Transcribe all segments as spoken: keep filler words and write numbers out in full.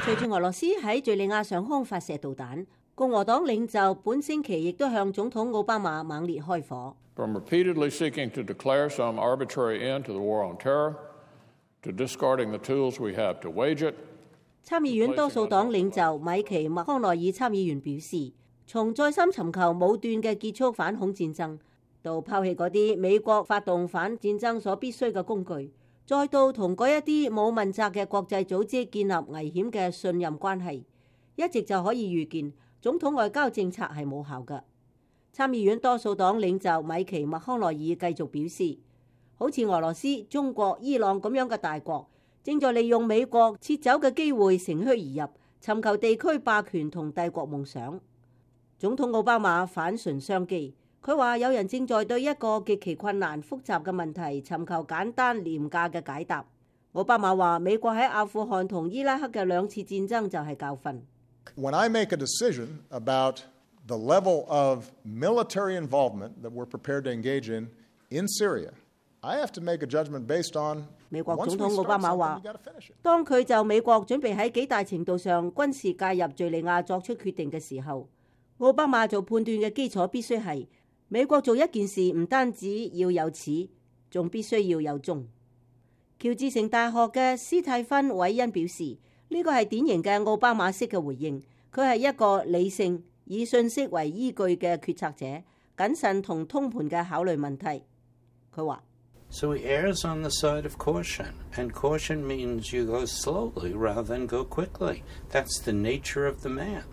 隨住俄羅斯喺敘利亞上空發射導彈，共和黨領袖本星期亦都向總統奧巴馬猛烈開火。From repeatedly seeking to declare some arbitrary end to the war on terror, to discarding the tools we have to wage it. 參議院多數黨領袖米奇麥康奈爾參議員表示，從再三尋求武斷嘅結束反恐戰爭，到拋棄嗰啲美國發動反戰爭所必須嘅工具，再到同嗰一啲冇問責嘅國際組織建立危險嘅信任關係，一直就可以預見總統外交政策係冇效嘅。參議院多數黨領袖米奇麥康奈爾繼續表示，好似俄羅斯、中國、伊朗咁樣嘅大國，正在利用美國撤走嘅機會乘虛而入，尋求地區霸權同帝國夢想。總統奧巴馬反唇相譏，佢話有人正在對一個極其困難複雜嘅問題尋求簡單廉價嘅解答。奧巴馬話美國喺阿富汗同伊拉克嘅兩次戰爭就係教訓。When I make a decision about the level of military involvement that we're prepared to engage in in Syria, I have to make a judgment based on 美國總統奧巴馬話，當佢就美國準備喺幾大程度上軍事介入敘利亞作出決定嘅時候，奧巴馬做判斷嘅基礎必須係美國做一件事唔單止要有始，仲必須要有終。喬治城大學嘅斯蒂芬韋恩表示，呢個係典型嘅奧巴馬式嘅回應，佢係一個理性以信息為依據嘅決策者，謹慎同通盤嘅考慮問題。佢話So he errs on the side of caution, and caution means you go slowly rather than go quickly. That's the nature of the man.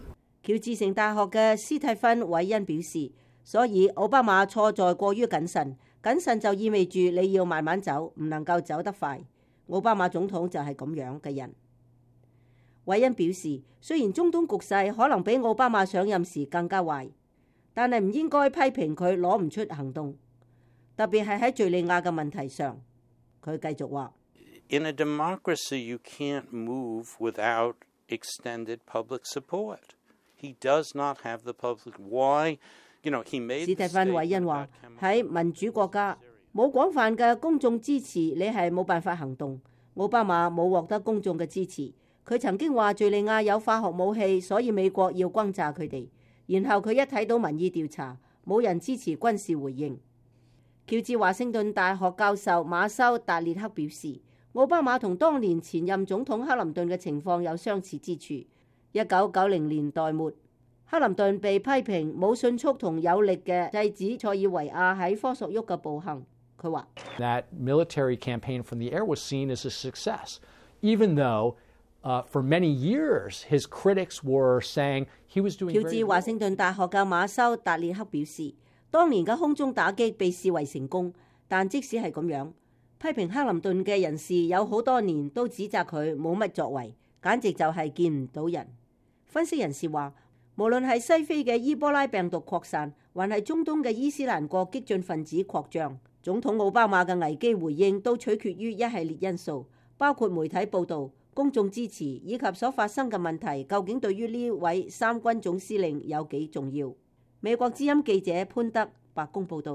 喬治城大學嘅斯蒂芬韋恩表示，所以奧巴馬錯在過於謹慎，謹慎就意味住你要慢慢走，唔能夠走得快。奧巴馬總統就係咁樣嘅人。韋恩表示，雖然中東局勢可能比奧巴馬上任時更加壞，但係唔應該批評佢攞唔出行動。特別係喺敘利亞嘅問題上，佢繼續話 In a democracy, you can't move without extended public support. He does not have the public. Why? You know, he made. 史蒂芬韋恩話喺民主國家冇廣泛嘅公眾支持，你係冇辦法行動。奧巴馬冇獲得公眾嘅支持，佢曾經話敘利亞有化學武器，所以美國要轟炸佢哋。然後佢一睇到民意調查，冇人支持軍事回應。喬治華盛頓大學教授馬修達列克表示，奧巴馬同當年前任總統克林頓嘅情況有相似之處。一九九零年代末，克林頓被批評冇迅速同有力嘅制止塞爾維亞喺科索沃嘅暴行。佢話：That military campaign from the air was seen as a success, even though, uh, for many years, his critics were saying he was doing. 喬治華盛頓大學嘅馬修達列克表示，當年嘅空中打擊被視為成功，但即使係咁樣，批評克林頓嘅人士有好多年都指責佢冇乜作為，簡直就係見唔到人。分析人士話，無論係西非嘅伊波拉病毒擴散，還係中東嘅伊斯蘭國激進分子擴張，總統奧巴馬嘅危機回應都取決於一系列因素，包括媒體報導、公眾支持以及所發生嘅問題究竟對於呢位三軍總司令有幾重要。美國之音記者潘德白宮報道。